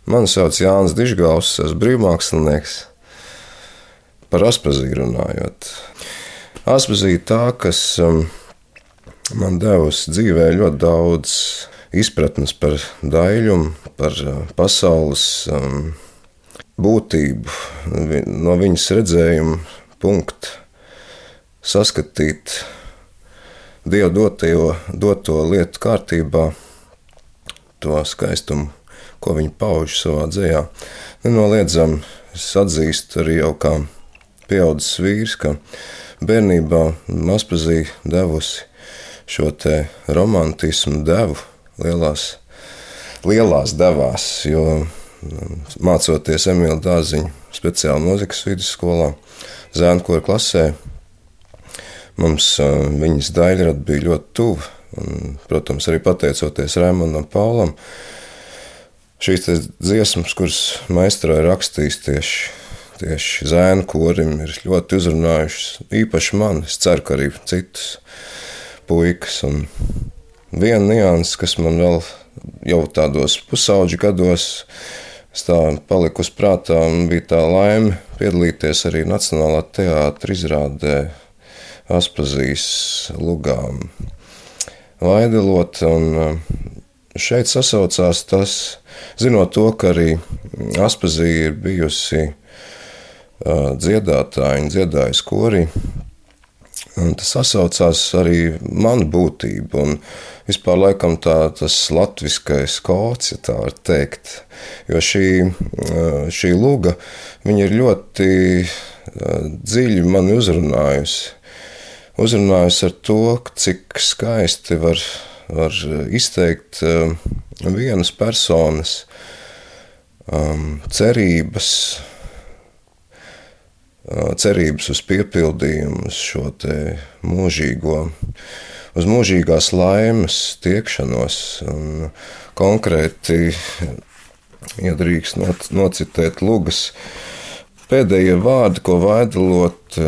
Mani sauc Jānis Dižgals, esmu brīvmākslinieks. Par Aspaziju runājot. Aspazija tā, kas man devusi dzīvē ļoti daudz izpratnes par daļumu, par pasaules būtību, no viņas redzējuma punkta saskatīt Dieva doto lietu kārtībā, to skaistumu, ko viņi pauž savā dzejā. Nenoliedzami es atzīstu arī jau kā pieaudzis vīrs, ka bērnībā Aspazija devusi šo te romantismu devu lielās devās, jo mācoties Emīla Dārziņa speciāli mūzikas vidusskolā, zēnkora klasē, mums viņas daļrada bija ļoti tuva. Un, protams, arī pateicoties Raimondam Paulam, šīs dziesmas, kuras maestro ir rakstījis tieši zēnu korim, ir ļoti uzrunājušas īpaši mani. Es ceru, ka arī citus puikas. Un viena nianses, kas man vēl jau tādos pusauģu gados palika uz prātā, un bija tā laime piedalīties arī Nacionālā teātra izrādē Aspazijas lugām Vaidelot, un šeit sasaucās tas, zinot to, ka arī Aspazija ir bijusi dziedātāja un dziedājusi korī, un tas sasaucās arī manu būtību, un vispār laikam tas latviskais kods, ja tā var teikt, jo šī luga, viņa ir ļoti dziļi mani uzrunājusi ar to, cik skaisti var izteikt vienas personas cerības uz piepildījumu, uz šo te uz mūžīgās laimes tiekšanos. Un konkrēti, ja drīkst nocitēt lugas pēdējie vārdi, ko Vaidelot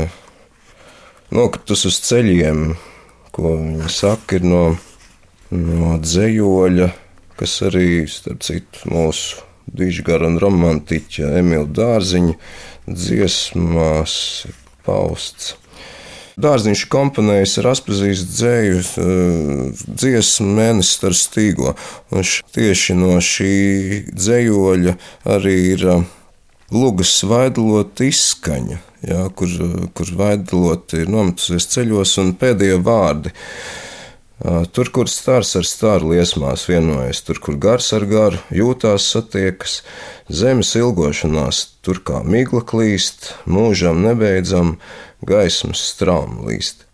nokritus uz ceļiem, ko viņa saka, ir no dzējoļa, kas arī, starp citu, mūsu dižgara un romantiķa Emīla Dārziņa dziesmās pausts. Dārziņš komponējis ar Aspazijas dzēju dziesmu Mēnesis star stīgo, un tieši no šī dzējoļa arī ir lugas Vaidelot izskaņa, jā, kur Vaidelot ir nometusies ceļos, un pēdējie vārdi. Tur, kur stars ar staru liesmās vienojas, tur, kur gars ar garu jūtās satiekas, zemes ilgošanās, tur kā migla klīst, mūžam nebeidzam, gaismas strauma līst.